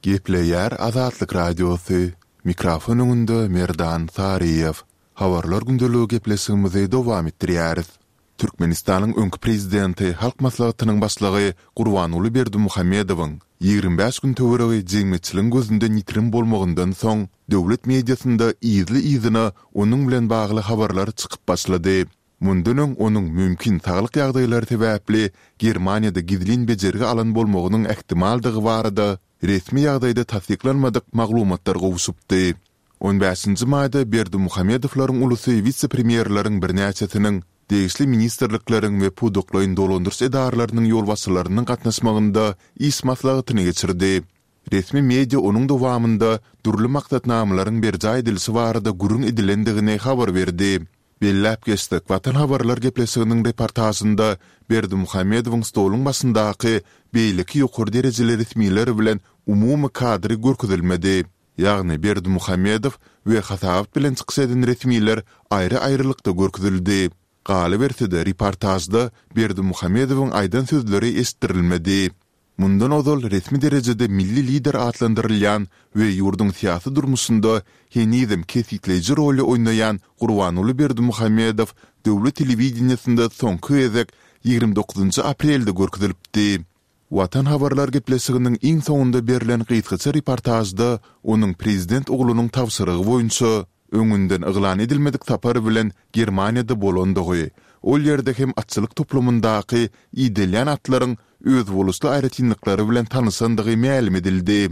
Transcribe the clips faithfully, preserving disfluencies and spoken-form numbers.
Gepleýär Azatlyk Radiosy, mikrofon öňünde Merdan Saryýew. Habarlar gündeligi gepleşigimizi dowam etdirýäris. Türkmenistanyň öňki prezidenti, Halk Maslahatynyň Başlygy Gurbanguly Berdimuhamedowyň ýigrimi bäş gün töweregi jemgyýetçiligiň gözünden ýitirim bolmagyndan soň, döwlet mediasynda yzly-yzyna onuň bilen bagly habarlar çykyp başlady. Mundan öň onuň mümkin saglyk ýagdaýlary sebäpli Germaniýada gizlin bejergi alan bolmagynyň ähtimaldygy barada resmi ýagdaýda tassyklanmadyk maglumatlar gowşupdy. On bäşinji maýda Berdimuhamedowlaryň ulusy wise-premýerleriň birnäçesiniň, degişli ministrlikleriň we pudaklaýyn dolandyryş edaralarynyň ýolbaşçylarynyň gatnaşmagynda iş maslahatyny geçirdi. Resmi media onuň dowamynda dürli maksatnamalaryň berjaý edilişi barada gürrüň edilendigini habar berdi. Belläp geçsek, Watan habarlar gepleşiginiň reportažynda Berdimuhamedowyň stoluň başyndaky beýleki ýokary derejeli resmiler bilen umumy kadry görkezilmedi. Ýagny Berdimuhamedow we hasabat bilen çykyş eden resmiler aýry-aýrylykda görkezildi. Galyberse-de, reportažda Berdimuhamedowyň aýdan sözleri eşitdirilmedi. Mundan ozal resmi derejede milli lider atlandyrylýan we ýurduň syýasy durmuşynda henizem kesgitleýji roly oýnaýan Gurbanguly Berdimuhamedow döwlet telewideniýesinde soňky gezek ýigrimi dokuzynjy aprelde görkezilipdi. Watan habarlar gepleşiginiň iň soňunda berlen gysgaça reportažda onuň prezident oglunyň tabşyrygy boýunça, öňünden yglan edilmedik sapar bilen Germaniýada bolandygy, ol ýerde hem atçylyk toplumyndaky idelýän atlaryň özboluşly aýratynlyklary bilen tanyşandygy mälim edildi.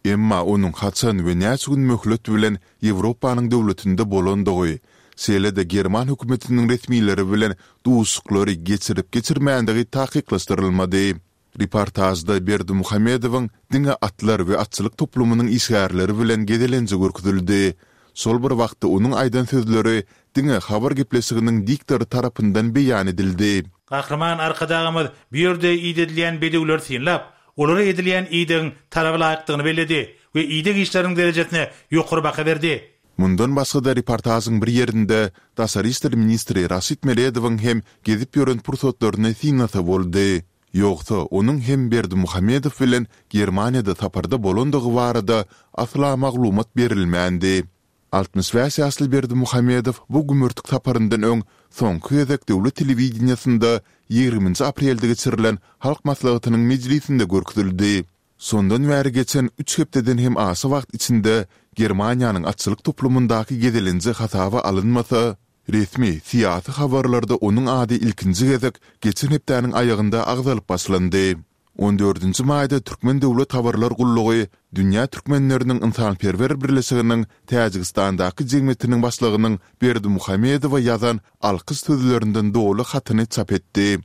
Emma onuň haçan we näçe gün möhlet bilen Ýewropanyň döwletinde bolandygy, şeýle-de german hökümetiniň resmileri bilen duşuşyklary geçirip-geçirmändigi takyklaşdyrylmady. Reportažda Berdimuhamedowyň diňe atlar we atçylyk toplumynyň işgärleri bilen gezelenji görkezildi. Şol bir wagtda onuň aýdan sözleri diňe habar gepleşiginiň diktory tarapyndan beýan edildi. Gahryman Arkadagymyz bu ýerde idedilýän bedewleri synlap, olara edilýän idegiň talaba laýykdygyny belledi we ideg işleriniň derejesine ýokary baha berdi. Mundan başga-da reportažyň bir ýerinde daşary işler ministri Raşid Meredowyň hem gezip ýören pursatlaryny synlasa boldy. Ýogsa, onuň hem Berdimuhamedow bilen Germaniýada saparda bolandygy barada asla maglumat berilmändi. Altmyş bäş ýaşly Berdimuhamedow bu gümürtik saparyndan öň soňky gezek döwlet telewideniýesinde ýigriminji aprelde geçirilen Halk Maslahatynyň mejlisinde görkezildi. Şondan bäri geçen üç hepdeden hem aşa wagt içinde Germaniýanyň atçylyk toplumyndaky gezelenji hasaba alynmasa, resmi syýasy habarlarda onuň ady ilkinji gezek geçen hepdäniň aýagynda agzalyp başlandy. On dördünji maýda Türkmen döwlet habarlar gullugy Dünýä türkmenleriniň ynsanperwer birleşiginiň Täjigistandaky jemgyýetiniň başlygynyň Berdimuhamedowa ýazan alkyş sözlerinden doly hatyny çap etdi.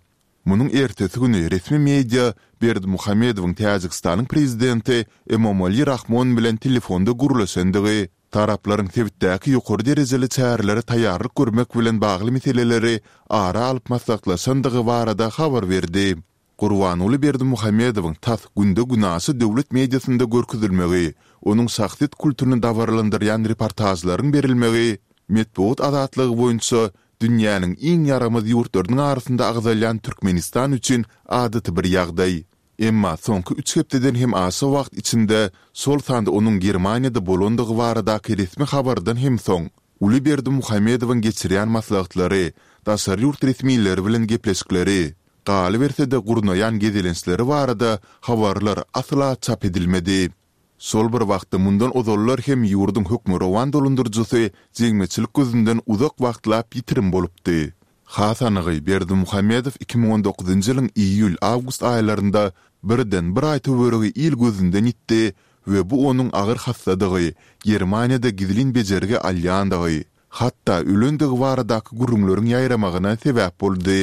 Munuň ertesi güni resmi media Berdimuhamedowyň Täjigistanyň prezidenti Emomali Rahmon bilen telefonda gürleşendigi, taraplaryň sebitdäki ýokary derejeli çärelere taýýarlyk görmek bilen bagly meseleleri ara alyp maslahatlaşandygy barada habar berdi. Gurbanguly Berdimuhamedowyň tas günde-günaşa döwlet mediasynda görkezilmegi, onuň şahsyýet kultuny dabaralandyrýan reportažlaryň berilmegi metbugat azatlygy boýunça dünýäniň iň ýaramaz ýurtlarynyň arasynda agzalýan Türkmenistan üçin adaty bir ýagdaý. Emma soňky üç hepdeden hem aşa wagt içinde, şol sanda onuň Germaniýada bolandygy baradaky resmi habardan hem soň, uly Berdimuhamedowyň geçirýän maslahatlary, daşary ýurt resmileri bilen gepleşikleri, galyberse-de gurnaýan gezelençleri barada habarlar asla çap edilmedi. Şol bir wagtda mundan ozallar hem ýurduň hökmürowan dolandyryjysy jemgyýetçilik gözünden uzak wagtlap ýitirim bolupdy. Has anygy, Berdimuhamedow iki müň on dokuzynjy ýylyň iýul-awgust aýlarynda birden bir aý töweregi il gözünden ýitdi we bu onuň agyr hassadygy, Germaniýada gizlin bejergi alýandygy, hatda ölendigi baradaky gürrüňleriň ýaýramagyna sebäp boldy.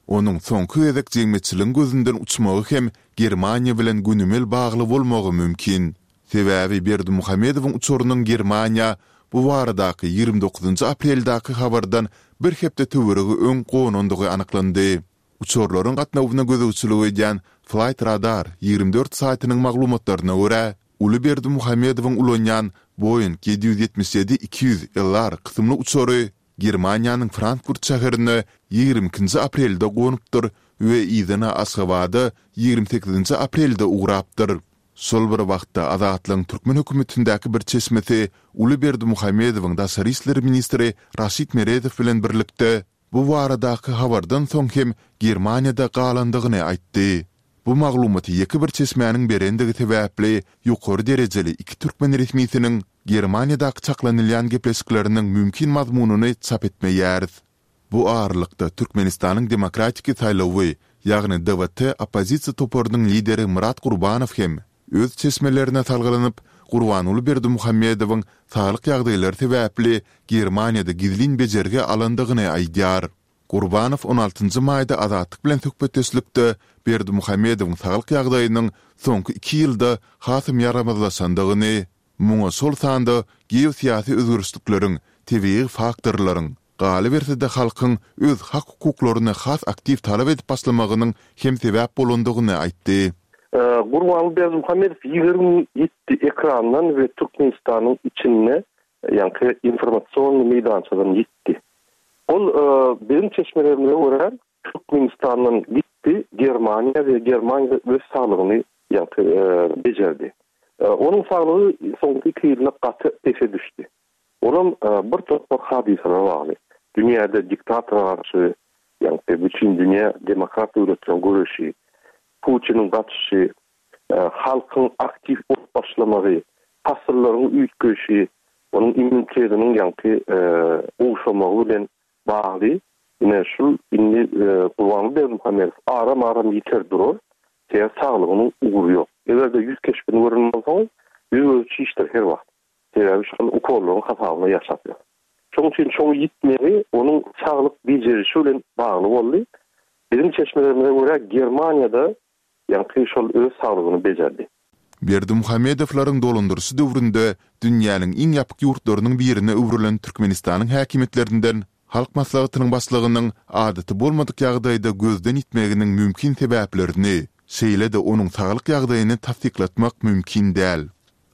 Onuň soňky gezek jemgyýetçiligiň gözünden uçmagy hem Germaniýa bilen gönümel bagly bolmagy mümkin. Sebäbi Berdimuhamedowyň uçarynyň Germaniýa bu baradaky ýigrimi dokuzynjy apreldäki habardan bir hepde töweregi öň gonandygy anyklandy. Uçarlaryň gatnawyna gözegçilik edýän Flight Radar ýigrimi dört saýtynyň maglumatlaryna görä, uly Berdimuhamedowyň ulanýan Boeing ýedi ýüz ýetmiş ýedi iki ýüz LR kysymly uçary Germaniýanyň Frankfurt şäherine ýigrimi ikinji aprelde gonupdyr we yzyna Aşgabada ýigrimi sekizinji aprelde ugrapdyr. Şol bir wagtda, Azatlygyň türkmen hökümetindäki bir çeşmesi uly Berdimuhamedowyň daşary işler ministri Raşid Meredow bilen birlikde bu baradaky habardan soň hem Germaniýada galandygyny aýtdy. Bu maglumaty ýeke bir çeşmäniň berendigi sebäpli ýokary derejeli iki türkmen resmisiniň Germaniýadaky çaklanylýan gepleşikleriniň mümkin mazmunyny çap etmeýäris. Bu aralykda, Türkmenistanyň Demokratiki saýlawy, ýagny D W T oppozisiýa toparynyň lideri Myrat Gurbanow hem öz çeşmelerine salgylanyp, Gurbanguly Berdimuhamedowyň saglyk ýagdaýlary sebäpli Germaniýada gizlin bejergi alandygyny aýdýar. Gurbanow on altynjy maýda Azatlyk bilen söhbetdeşlikde Berdimuhamedowyň saglyk ýagdaýynyň soňky iki ýylda hasam ýaramazlaşandygyny, muňa şol sanda geosyýasy özgerişlikleriň, tebigy faktorlaryň, galyberse-de halkyň öz hak-hukuklaryny has aktiw talap edip başlamagynyň hem sebäp bolandygyny aýtdy. Gurbanguly Berdimuhamedow ýigrimi ýedi ekrandan we Türkmenistanyň içinde, ýagny informasion meýdançadan ýitdi. Ol biziň çeşmelerimize görä Türkmenistandan gitdi Germaniýa we Germaniýada öz saglygyny ýagny bejerdi. Onuň saglygy soňky iki ýylda gaty pese düşdi. Olam bir topar hadysalara bagly. Dünýäde diktatora garşy, ýagny bütün dünýä demokrat döwletleriň göreşi, Putiniň gaçyşy, halkyň aktiw bolup başlamagy, pasyllaryň üýtgeýşi, onuň immunitetiniň ýagny gowşamagy bilen bagly. Ine şul indi Gurbanguly Berdimuhamedow aram-aram ýiter durar, sebäbi saglygynyň ugry ýok. Eger-de ýüz keşbini gören bolsaňyz, ýüz gözi çişdir her wagt. Sebäbi şol ukollaryň hasabyna ýaşap ýör. Şonuň üçin şoň ýitmegi onuň saglyk bejerişi bilen bagly boldy. Biziň çeşmelerimize görä Germaniýada ýagny şol öz saglygyny bejerdi. Berdimuhamedowlaryň dolandyryşy döwründe dünýäniň iň ýapyk ýurtlarynyň birine öwrülen Türkmenistanyň häkimiýetlerinden Halk Maslahatynyň başlygynyň adaty bolmadyk ýagdaýda gözden ýitmeginiň mümkin sebäplerini, şeýle-de onuň saglyk ýagdaýyny tassyklatmak mümkin däl.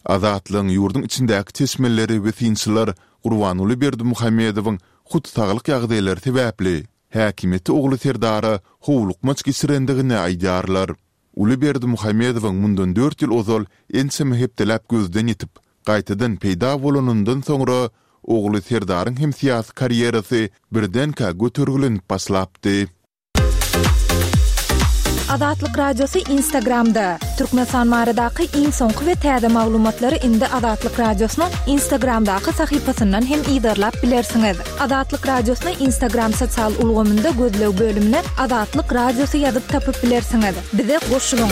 Azatlygyň ýurduň içindäki çeşmeleri we synçylar Gurbanguly Berdimuhamedowyň hut saglyk ýagdaýlary sebäpli häkimiýeti ogly Serdara howlukmaç geçirendigini aýdýarlar. Uly Berdimuhamedowyň mundan dört ýyl ozal ençeme hepdeläp gözden ýitip, gaýtadan peýda bolanyndan soňra ogly Serdaryň hem syýasy karýerasy birdenkä götergilenip başlapdy. Azatlyk Radiosy Instagramda. Türkmenistan baradaky iň soňky we täze maglumatlary indi Azatlyk Radiosynyň Instagramdaky sahypasyndan hem yzarlap bilersiňiz. Azatlyk Radiosyny Instagram sosial ulgamynda gözleg bölümine Azatlyk Radiosy ýazyp tapyp bilersiňiz. Bize goşulyň.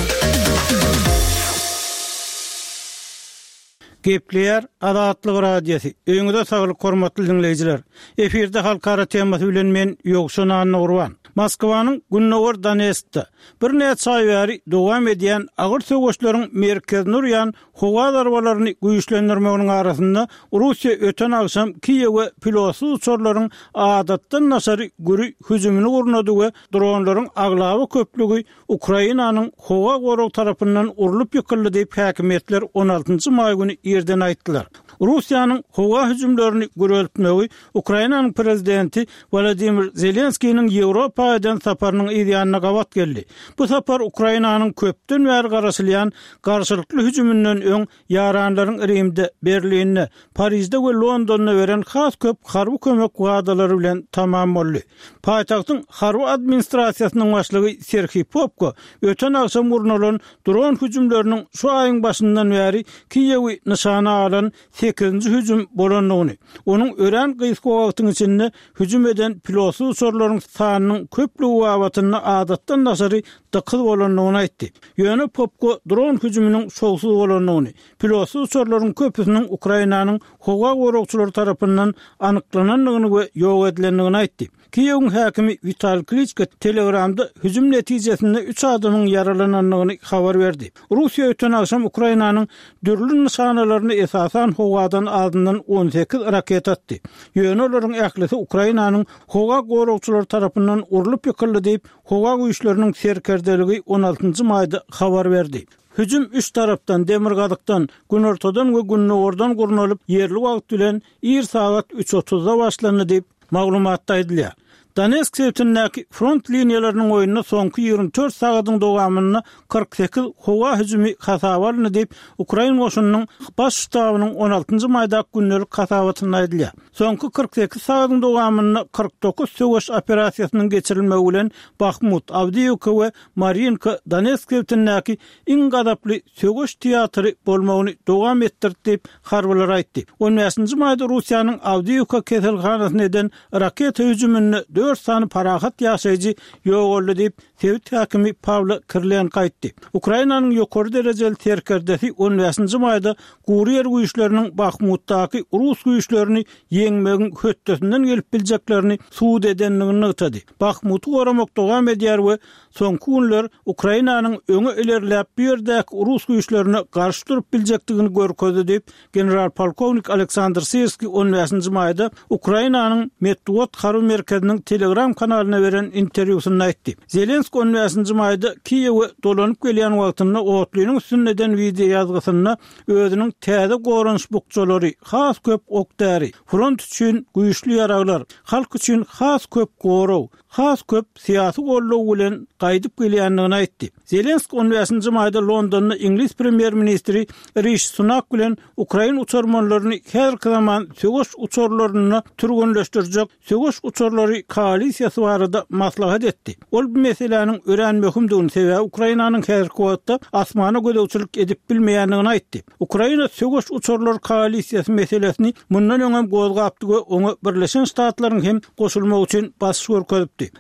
Gepleýär Azatlyk Radiosy. Öýüňize saglyk hormatly diňleýjiler. Efirde halkara temasy bilen men Ýowşan Annagurban. Moskwanyň Gündogar Donetskde birnäçe aý bäri dowam edýän agyr söweşleriň merkezini urýan howa zarbalaryny güýçlendirmeginiň arasynda Russiýa öten agşam Kiýewe pilotsyz uçarlaryň adatdan daşary güri hüjümini gurnady we dronlaryň aglaba köplügi Ukrainanyň howa gorag tarapyndan urlup ýykyldy diýip häkimiýetler on altynjy maý güni irden aýtdylar. Russiýanyň howa hüjümlerini güreltmegi Ukrainanyň prezidenti Wladimir Zelenskiniň Ýewropa eden saparynyň yz ýanyna gabat geldi. Bu sapar Ukrainanyň köpden bäri garaşylýan garşylykly hüjüminden öň ýaranlaryň Rimde, Berlinde, Parizde we Londonda beren has köp harby kömek wadalary bilen tamam boldy. Paýtagtyň harby administrasiýasynyň başlygy Serhiý Popko öten agşam gurnalan dron hüjümleriniň şu aýyň başyndan bäri Kiýewi nyşana alan sekizinji hüjüm bolandygyny, onuň örän gysga wagtyň içinde hüjüm eden pilotsyz uçarlaryň sanynyň köplügi babatynda adatdan daşary dykyz bolandygyny aýtdy. Ýöne Popko dron hüjüminiň şowsuz bolandygyny, pilotsyz uçarlaryň köpüsiniň Ukrainanyň howa goragçylary tarapyndan anyklanandygyny we ýok edilendigini aýtdy. Kiýewiň häkimi Wital Kliçko Telegramda hüjüm netijesinde üç adamyň ýaralanandygyny habar berdi. Russiýa öten agşam Ukrainanyň dürli nyşanalaryny esasan howadan azyndan on sekiz raket atdy. Ýöne olaryň ählisi Ukrainanyň howa goragçylary tarapyndan urlup ýykyldy diýip, howa güýçleriniň serkerdeligi on altynjy maýda habar berdi. Hüjüm üç tarapdan, demirgazykdan, günortadan we gündogardan gurnalyp, ýerli wagt bilen ir sagat üç otuzda başlandy diýip, maglumatda aýdylýar. Donetsk sebitindäki front liniýalarynyň boýunda soňky ýigrimi dört sagadyň dowamynda kyrk sekiz howa hüjümi hasaba alyndy diýip, ukrain goşunynyň Baş ştabynyň on altynjy maýdaky gündelik hasabatynda aýdylýar. Soňky kyrk sekiz sagadyň dowamynda kyrk dokuz söweş operasiýasynyň geçirilmegi bilen Bahmut, Awdiýewka we Marinka Donetsk sebitindäki iň gazaply söweş teatry bolmagyny dowam etdirdi diýip, harbylar aýtdy. On bäşinji maýda Russiýanyň Awdiýewka keselhanasyna eden raketa hüjüminde dört sany parahat ýaşaýjy ýogaldy diýip, sebit häkimi Pawlo Kirilenko aýtdy. Ukrainanyň ýokary derejeli serkerdesi on bäşinji maýda gury ýer güýçleriniň Bahmutdaky rus güýçlerini ýeňmegiň hötdesinden gelip biljeklerini subut edendigini nygtady. Bahmuty goramak dowam edýär we soňky günler Ukrainanyň öňe ilerläp bu ýerdäki rus güýçlerine garşy durup biljekdigini görkezdi diýip, general-polkownik Aleksandr Sirskiý on bäşinji maýda Ukrainanyň metbugat harby merkeziniň Telegram kanalyna beren interwýusynda aýtdy. Zelenskiý on bäşinji maýda Kiýewe dolanyp gelýän wagtynda otlynyň üstünde eden wideoýazgysynda özüniň täze goranyş bukjalary, has köp ok-däri, front üçin güýçli ýaraglar, halk üçin has köp gorag, has köp syýasy goldaw bilen gaýdyp gelýändigini aýtdy. Zelenskiý on bäşinji maýda Londonda iňlis premýer-ministri Rişi Sunak bilen ukrain uçarmanlaryny häzirki zaman söweş uçarlarynda türgenleşdirjek söweş uçarlary koalisiýasy barada maslahat etdi. Ol bu meseläniň örän möhümdigini, sebäbi Ukrainanyň häzirki wagtda asmana gözegçilik edip bilmeýändigini aýtdy. Ukraina söweş uçarlary koalisiýasy meselesini mundan öňem gozgapdy we oňa Birleşen Ştatlaryň hem goşulmagy üçin basyş görkezipdi.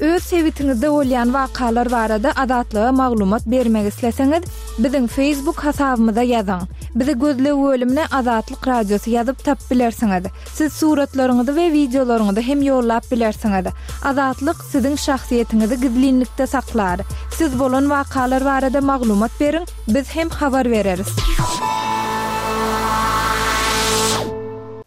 Öz sebitiňizde bolýan wakalar barada Azatlyga maglumat bermek isleseňiz, biziň Facebook hasabymyza ýazyň. Bizi gözleg bölümine Azatlyk Radiosy ýazyp tapyp bilersiňiz. Siz suratlaryňyzy we wideolaryňyzy hem ýollap bilersiňiz. Azatlyk siziň şahsyýetiňizi gizlinlikde saklar. Siz bolan wakalar barada maglumat beriň, biz hem habar bereris.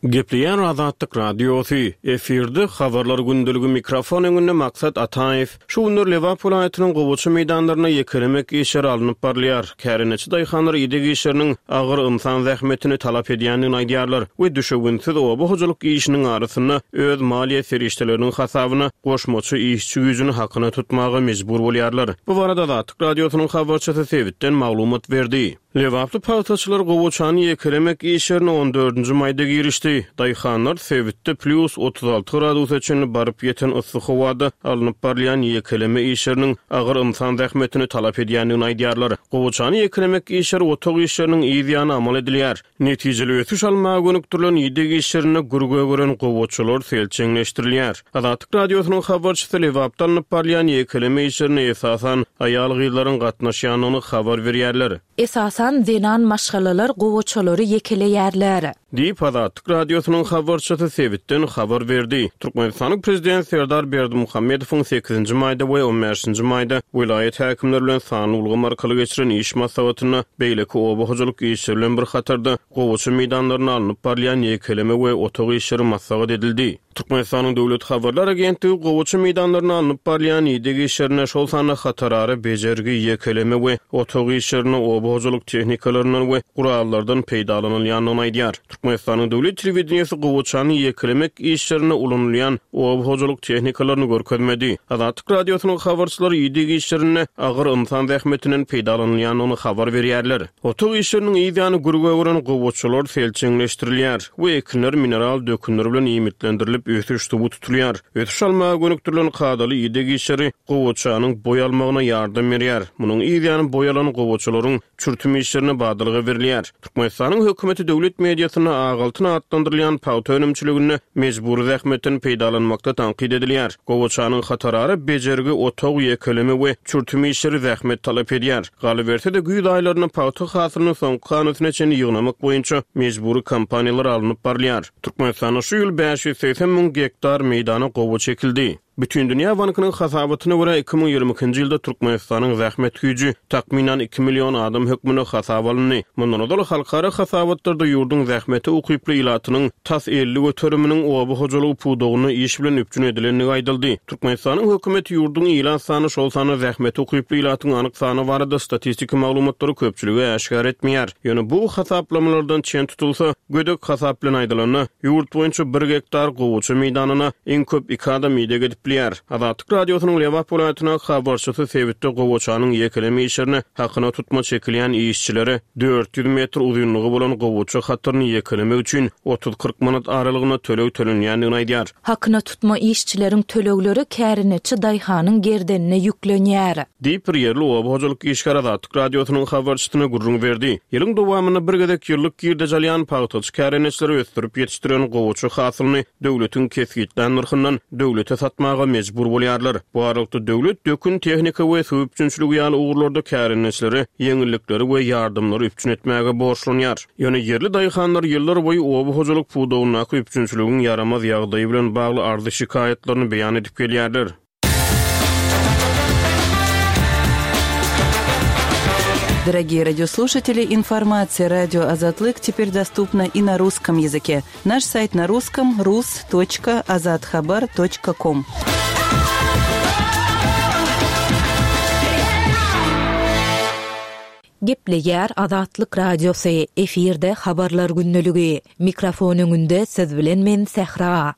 Gepleýän Azatlyk Radiosy, efirde habarlar gündeligi mikrofon öňünde Maksat Ataýew. Şu günler Lebap welaýatynyň gowaça meýdanlaryna ýekelemek işleri alnyp barylýar. Kärendeçi daýhanlar ideg işleriniň agyr ynsan zähmetini talap edýändigini aýdýarlar we düşewünsiz oba hojalyk işiniň arasynda öz maliýe serişdeleriniň hasabyna goşmaça işçi güýjüni hakyna tutmaga mejbur bolýarlar. Bu barada Azatlyk Radiosynyň habarçysy sebitden maglumat berdi. Lebaply pagtaçylar gowaçany ýekelemek işlerine on dördünji maýda girişdi. Daýhanlar sebitde plus otuz alty gradusa çenli baryp ýeten yssy howada alnyp barylýan ýekeleme işleriniň agyr ynsan zähmetini talap edýändigini aýdýarlar. Gowaçany ýekelemek işleri otag işleriniň yz ýany amal edilýär. Netijeli ösüş almaga gönükdirilen ideg işlerinde gürge gören gowaçalar selçeňleşdirilýär. Azatlyk Radiosynyň habarçysy Lebapda alnyp barylýan ýekeleme işlerine esasan aýal-gyzlaryň gatnaşýandygyny habar berýärler. Esasan zenan maşgalalar gowaçalary ýekeleýärler. Diýip Azatlyk Radiosynyň habarçysy sebitden habar berdi. Türkmenistanyň prezidenti Serdar Berdimuhamedowyň sekizinji maýda we on bäşinji maýda welaýat häkimleri bilen sanly ulgam arkaly geçiren iş maslahatynda beýleki oba hojalyk işleri bilen bir hatarda gowaça meýdanlaryna alnyp barylýan ýekeleme we otag işleri maslahat edildi. Türkmenistanyň Döwlet habarlar agentligi gowaça meýdanlaryna alnyp barylýan ideg işlerine, şol sanda hatarara bejergi, ýekeleme we otag işlerine oba hojalyk tehnikalaryndan we gurallardan peýdalanylýandygyny aýdýar. Türkmenistanyň Döwlet telewideniýesi gowaçany ýekelemek işlerine ulanylýan oba hojalyk tehnikalaryny görkezmedi. Azatlyk Radiosynyň habarçylary ideg işlerinde agyr ynsan zähmetinden peýdalanylýandygyny habar berýärler. Otag işleriniň yz ýany gürge gören gowaçalar selçeňleşdirilýär we ekinler mineral dökünler bilen iýmitlendirilip ösüş suwy tutulýar. Ösüş almaga gönükdirilen kadaly ideg işleri gowaçanyň boý almagyna ýardam berýär. Munuň yz ýany boý alan gowaçalaryň çürtüm işlerine badalga berilýär. Türkmenistanyň hökümeti döwlet mediasynda Agaltyn atlandyrylýan pagta önümçiliginde mejbury zähmetden peýdalanmakda tankyt edilýär. Gowaçanyň hatarara bejergi, otag, ýekeleme we çürtüm işleri zähmet talap edýär. Galyberse-de güýz aýlarynda pagta hasylyny soňky hanasyna çenli ýygnamak boýunça mejbury kampaniýalar alnyp barylýar. Türkmenistanda şu ýyl bäş ýüz segsen müň gektar meýdana gowaça ekildi. Bütindünýä bankynyň hasabatyna görä iki müň ýigrimi ikinji ýylda Türkmenistanyň zähmet güýji takmynan iki million adam hökmünde hasaba alyndy. Mundan ozal halkara hasabatlarda ýurduň zähmete ukyply ilatynyň tas elli göteriminiň oba hojalygy pudagynda iş bilen üpjün edilendigi aýdyldy. Türkmenistanyň hökümeti ýurduň ilat sany, şol sanda zähmete ukyply ilatyň anyk sany barada statistiki maglumatlary köpçülige äşgär etmeýär. Ýöne bu hasaplamalardan çen tutulsa, gödek hasap bilen aýdylanda, ýurt boýunça bir gektar gowaça meýdanyna iň köp iki adam ideg edip bilýär. Azatlyk Radiosynyň Lebap welaýatyna habarçysy sebitde gowaçanyň ýekeleme işlerine hakyna tutma çekilýän işçilere dört ýüz metr uzynlygy bolan gowaça hataryny ýekelemek üçin otuz-kyrk manat aralygynda töleg tölenýändigini aýdýar. Hakyna tutma işçileriň tölegleri kärineçi daýhanyň gerdenine ýüklenýär. Diýip, bir ýerli oba hojalyk işgäri Azatlyk Radiosynyň habarçysyna gürrüň berdi. Ýylyň dowamynda bir gezek ýyllyk girdeji alýan pagtaçy kärineçileri ösdürip ýetişdiren gowaça hasylyny döwletiň kesgitlän nyrhyndan döwlete satmaga mejbur bolýarlar. Bu aralykda döwlet dökün tehnika we suw üpjünçiligi ýaly ugurlarda kärineçilere ýeňillikleri we ýardamlary üpjün etmäge borçlanýar. Ýöne ýerli daýhanlar ýyllar boýy oba hojalyk pudagyndaky üpjünçiligiň ýaramaz ýagdaýy bilen bagly arzy şikaýatlaryny beýan edip gelýärler. Дорогие радиослушатели, информация радио Азатлык теперь доступна и на русском языке. Наш сайт на русском рус точка азатхабар точка ком. Gepleýär Azatlyk Radiosy, efirde habarlar günlügi. Mikrofon öňünde siz bilen men Sähra.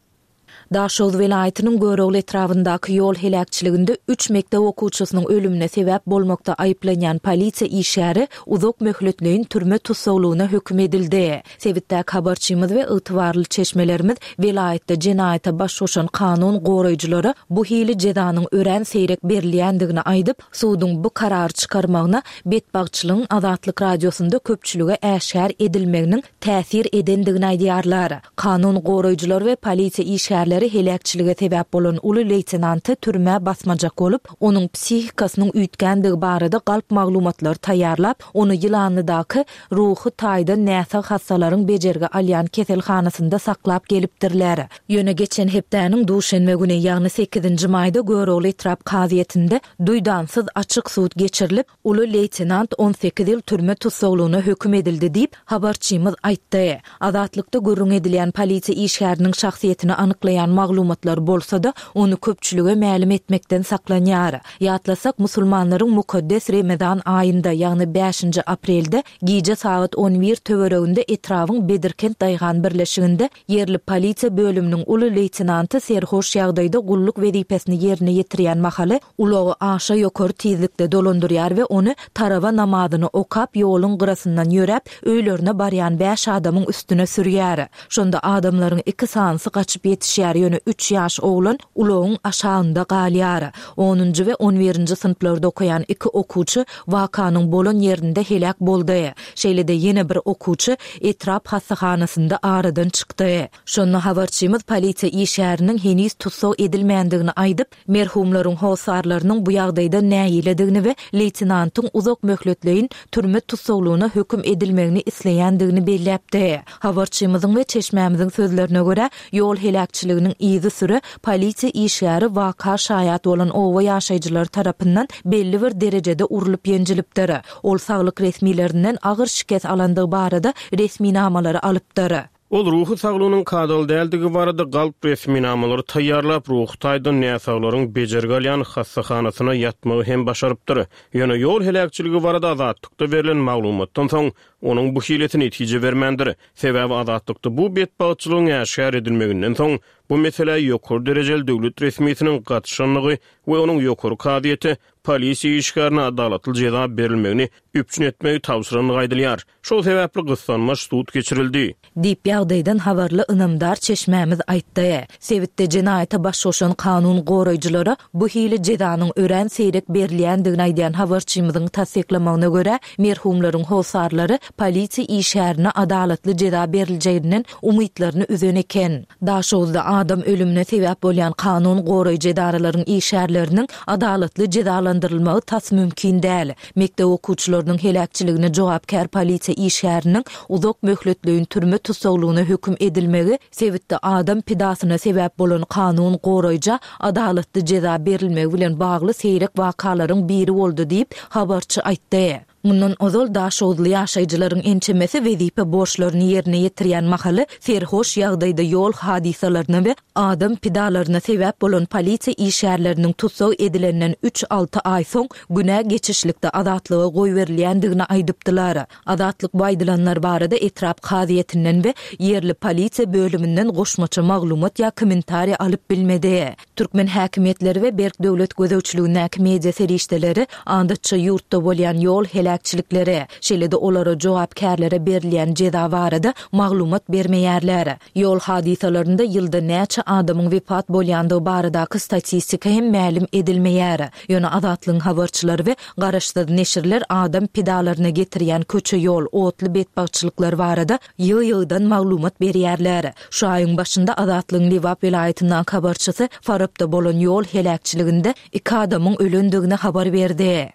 Daşoguz welaýatynyň Görogly etrabyndaky ýol heläkçiliginde üç mekdep okuwçysynyň ölümine sebäp bolmakda aýyplanýan polisiýa işgäri uzak möhletleýin türme tussaglygyna höküm edildi. Sebitdäki habarçymyz we ygtybarly çeşmelerimiz welaýatda jenaýata baş goşan kanun goraýjylara bu hili jezanyň örän seýrek berilýändigini aýdyp, suduň bu karary çykarmagyna betbagtçylygyň Azatlyk Radiosynda köpçülige äşgär edilmeginiň täsir edendigini aýdýarlar. Kanun goraýjylar we polisiýa işgärleri heläkçilige sebäp bolan uly leýtenanty türmä basmajak bolup, onuň psihikasynyň üýtgändigi barada galp maglumatlar taýýarlap, ony Ýylanlydaky ruhy taýdan näsag hassalaryň bejergi alýan keselhanasynda saklap gelipdirler. Ýöne geçen hepdäniň duşenbe güni, ýagny sekizinji maýda Görogly etrap kazyýetinde duýdansyz açyk sud geçirilip, uly leýtenant on sekiz ýyl türme tussaglygyna höküm edildi diýip, habarçymyz aýtdy. Azatlykda gürrüň edilýän polisiýa işgäriniň şahsyýetini anyklaýan maglumatlar bolsa-da, ony köpçülige mälim etmekden saklanýar. Ýatlasak, musulmanlaryň mukaddes Ramazan aýynda, ýagny bäşinji aprelde gije sagat on bir töwereginde etrabyň Bedirkent daýhan birleşiginde ýerli polisiýa bölüminiň uly leýtenanty serhoş ýagdaýda gulluk wezipesini ýerine ýetirýän mahaly ulagy aşa ýokary tizlikde dolandyrýar we ony taraba namazyny okap ýoluň gyrasyndan ýöräp öýlerine barýan bäş adamyň üstüne sürýär. Şonda adamlaryň iki sanysy gaçyp ýetişýär, ýöne üç ýaş oglan ulagyň aşagynda galýar. Onunjy we on birinji synplarda okaýan iki okuwçy wakanyň bolan ýerinde heläk boldy. Şeýle-de ýene bir okuwçy etrap hassahanasynda aradan çykdy. Şonda habarçymyz polisiýa işgäriniň heniz tussag edilmändigini aýdyp, merhumlaryň hosarlarynyň bu ýagdaýda nägiledigini we leýtenantyň uzak möhletleýin türme tussaglygyna höküm edilmegini isleýändigini belläpdi. Habarçymyzyň we çeşmämiziň sözlerine görä, ýol heläkçiliginiň yzy süre polisiýa işgäri waka şaýat bolan oba ýaşaýjylary tarapyndan belli bir derejede urlup ýenjilipdir. Ol saglyk resmilerinden agyr şikes alandygy barada resminamalary alypdyr. Ol ruhy saglygynyň kadaly däldigi barada galp resminamalary taýýarlap, ruhy taýdan näsaglaryň bejergi alýan hassahanasyna ýatmagy hem başarypdyr. Ýöne ýol heläkçiligi barada Azatlykda berlen maglumatdan soň onuň bu hilesi netije bermändir. Sebäbi Azatlykda bu betbagtçylygyň äşgär edilmeginden soň bu meselä ýokary derejeli döwlet resmisiniň gatyşanlygy we onuň ýokary kazyýete polisiýa işgärine adalatly jeza berilmegini üpjün etmegi tabşyranlygy aýdylýar. Şol sebäpli gyssanmaç sud geçirildi. Diýip ýagdaýdan habarly ynamdar çeşmämiz aýtdy. Sebitde jenaýata baş goşan kanun goraýjylara bu hili jezanyň örän seýrek berilýändigini aýdýan habarçymyzyň tassyklamagyna görä, merhumlaryň hosarlary polisiýa işgärine adalatly jeza beriljeginden umytlaryny üzen eken. Daşoguzda adam ölümine sebäp bolýan kanun goraýjy edaralaryň işgärleriniň adalatly jezalandyrylmagy tas mümkin däl. Mekdep okuwçylarynyň heläkçiligine jogapkär polisiýa işgäriniň uzak möhletleýin türme tussaglygyna höküm edilmegi sebitde adam pidasyna sebäp bolan kanun goraýja adalatly jeza berilmegi bilen bagly seýrek wakalaryň biri boldy diýip, habarçy aýtdy. Mundan ozal Daşoguzly ýaşaýjylaryň ençemesi wezipe borçlaryny ýerine ýetirýän mahaly serhoş ýagdaýda ýol hadysalaryna we adam pidalaryna sebäp bolan polisiýa işgärleriniň tussag edilenden üç-alty aý soň günä geçişlikde azatlyga goýberilýändigini aýdypdylar. Azatlyk bu aýdylanlar barada etrap kazyýetinden we ýerli polisiýa bölüminden goşmaça maglumat ýa kommentariý alyp bilmedi. Türkmen häkimiýetleri we berk döwlet gözegçiligindäki media serişdeleri adatça ýurtda bolýan ýol heläkçilikleri, şeýle-de olara jogapkärlere berilýän jeza barada maglumat bermeýärler. Ýol hadysalarynda ýylda näçe adamyň wepat bolýandygy baradaky statistika hem mälim edilmeýär. Ýöne Azatlygyň habarçylary we garaşsyz neşirler adam pidalaryna getirýän köçe-ýol, otly betbagtçylyklar barada ýygy-ýygydan maglumat berýärler. Şu aýyň başynda Azatlygyň Lebap welaýatyndaky habarçysy Farapda bolan ýol heläkçiliginde iki adamyň ölendigini habar berdi.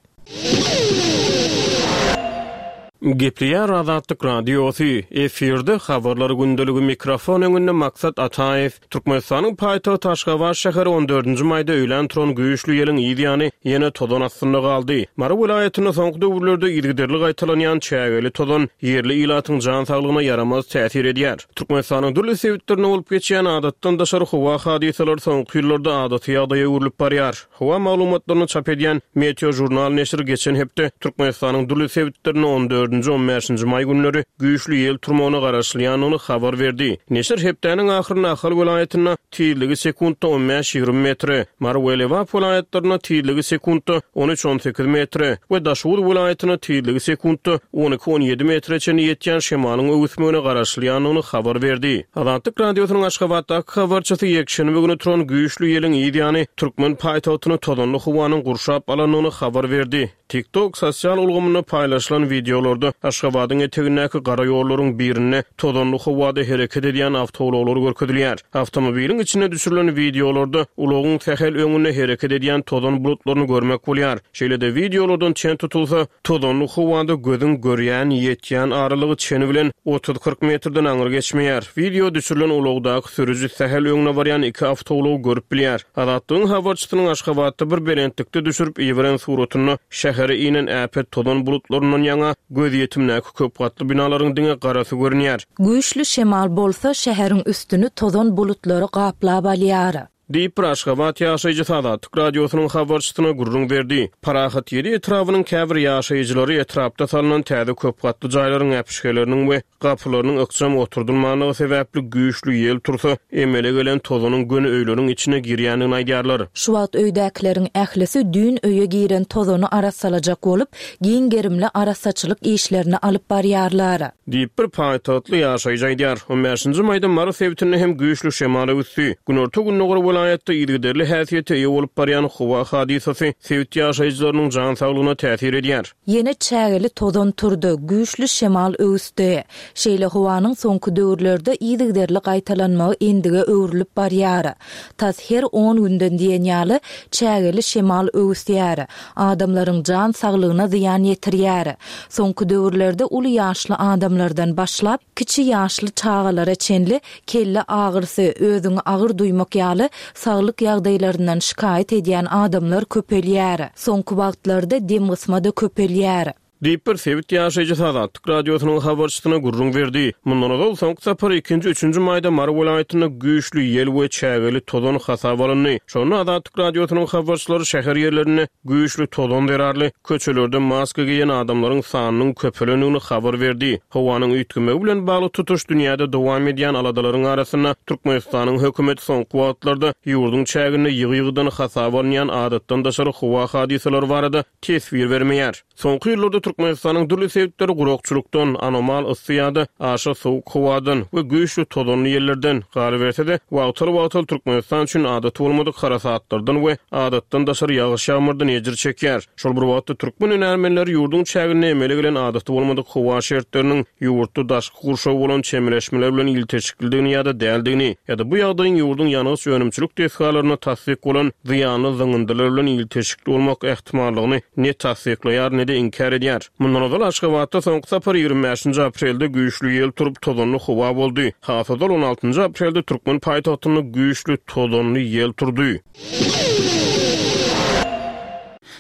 Gepleýär Azatlyk Radiosy, efirde habarlar gündeligi mikrofon öňünde Maksat Ataýew. Türkmenistanyň paýtagty Aşgabat şäheri on dördünji maýda öýlän turan güýçli ýeliň yz ýany ýene tozan astynda galdy. Mary welaýatynda soňky döwürlerde yzygiderli gaýtalanýan çägeli tozan ýerli ilatyň jan saglygyna ýaramaz täsir edýär. Türkmenistanyň dürli sebitlerinde bolup geçýän adatdan daşary howa hadysalary soňky ýyllarda adaty ýagdaýa öwrülip barýar. Howa maglumatlaryny çap edýän Meteo Jurnal neşiri geçen hepde Türkmenistanyň dürli sebitlerinde on dördünji, on bäşinji maý günleri güýçli ýel turmagyna garaşylýandygyny habar berdi. Neşir hepdäniň ahyrynda Ahal welaýatynda tizligi sekuntda on bäş-ýigrimi metre, Mary we Lebap welaýatlarynda tizligi sekuntda on üç-on sekiz metre we Daşoguz welaýatynda tizligi sekuntda on iki-on ýedi metre çenli ýetýän şemalyň öwüsmegine garaşylýandygyny habar berdi. Azatlyk Radiosynyň Aşgabatdaky habarçysy ýekşenbe güni turan güýçli ýeliň yz ýany türkmen paýtagtyny tozanly howanyň gurşap alandygyny habar berdi. TikTok sosial ulgamynda paýlaşylan wideolarda Aşgabadyň etegindäki gara ýollaryň birinde tozanly howada hereket edýän awtoulaglar görkezilýär. Awtomobiliň içinde düşürilen wideolarda ulagyň sähel öňünde hereket edýän tozan bulutlaryny görmek bolýar. Şeýle-de wideolardan çen tutulsa, tozanly howada gözüň görýän, ýetýän aralygy çeni bilen otuz-kyrk metrden aňry geçmeýär. Wideo düşürilen ulagdaky sürüji sähel öňüne barýan iki awtoulagy görüp bilýär. Azatlygyň habarçysynyň Aşgabatda bir belentlikde düşürip iberen suratynda şähere inen äpet tozan bulutlaryndan ýaňa gözýetimdäki köp gatly binalaryň diňe garasy görünýär. Güýçli şemal bolsa şäheriň üstüni tozan bulutlary gaplap alýar. Diýip bir Aşgabat ýaşaýjysy Azatlyk Radiosynyň habarçysyna gürrüň berdi. Parahat ýedi etrabynyň käbir ýaşaýjylary etrapda salynan täze köp gatly jaýlaryň äpişgeleriniň we gapylarynyň ykjam oturdylmanlygy sebäpli güýçli ýel tursa, emele gelen tozanyň göni öýleriň içine girýändigini aýdýarlar. Şu wagt öýdäkileriň ählisi düýn öýe giren tozany arassalajak bolup, giň gerimli arassaçylyk işlerini alyp barýarlar. Diýip bir paýtagtly ýaşaýjy aýdýar. On bäşinji maýda Mary sebitinde hem güýçli şemal öwüsdi. Günorta-gündogar welaýatda yzygiderli häsiýete eýe bolup barýan howa hadysasy sebit ýaşaýjylarynyň jan saglygyna täsir edýär. Ýene çägeli tozan turdy, güýçli şemal öwüsdi. Şeýle howanyň soňky döwürlerde yzygiderli gaýtalanmagy endige öwrülip barýar. Tas her on günden diýen ýaly çägeli şemal öwüsýär. Adamlaryň jan saglygyna zyýan ýetirýär. Soňky döwürlerde uly ýaşly adamlardan başlap, kiçi ýaşly çagalara çenli kelle agyrysy, özüňi agyr duýmak ýaly saglyk ýagdaýlaryndan şikaýat edýän adamlar köpelýär. Soňky wagtlarda dem gysma-da köpelýär. Diýip bir sebit ýaşaýjysy Azatlyk Radiosynyň habarçysyna gürrüň berdi. Mundan ozal soňky sapar ikinji, üçünji maýda Mary welaýatynda güýçli ýel we çägeli tozan hasap alyndy. Şonda Azatlyk Radiosynyň habarçylary şäher ýerlerinde güýçli tozan zerarly köçelerde maska geýen adamlaryň sanynyň köpelendigini habar berdi. Howanyň üýtgemegi bilen bagly tutuş dünýäde dowam edýän aladalaryň arasynda Türkmenistanyň hökümeti soňky wagtlarda ýurduň çäginde ýygy-ýygydan hasap alynýan adatdan daşary howa hadysalary barada teswir bermeýär. Soňky ýyllarda Türkmenistanyň dürli sebitleri gurakçylykdan, anomal yssy ýa-da aşa sowuk howadan we güýçli tozanly ýellerden, galyberse-de, wagtal-wagtal Türkmenistan üçin adaty bolmadyk harasatlardan we adatdan daşary ýagyş-ýagmyrdan ejir çekýär. Şol bir wagtda, türkmen hünärmenleri ýurduň çäginde emele gelen adaty bolmadyk howa şertleriniň ýurtda daşky gurşawa bolan çemeleşmeler bilen ilteşiklidigini ýa-da däldigini, ýa-da bu ýagdaýyň ýurduň ýangyç önümçilik desgalaryna tassyk bolan zyýanly zyňyndylar bilen ilteşikli bolmak ähtimallygyny ne tassyklaýar, ne-de inkär edýär. Mundan ozal Aşgabatda soňky sapar ýigrimi bäşinji aprelde güýçli ýel turup, tozanly howa boldy. Has ozal on altynjy aprelde türkmen paýtagtynda güýçli tozanly ýel turdy.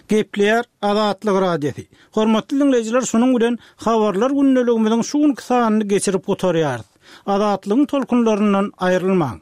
Gepleýär Azatlyk Radiosy. Hormatly diňleýjiler, şunuň bilen Habarlar gündeligimiziň şu günki sanyny geçirip gutarýarys. Azatlygyň tolkunlaryndan aýrylmaň!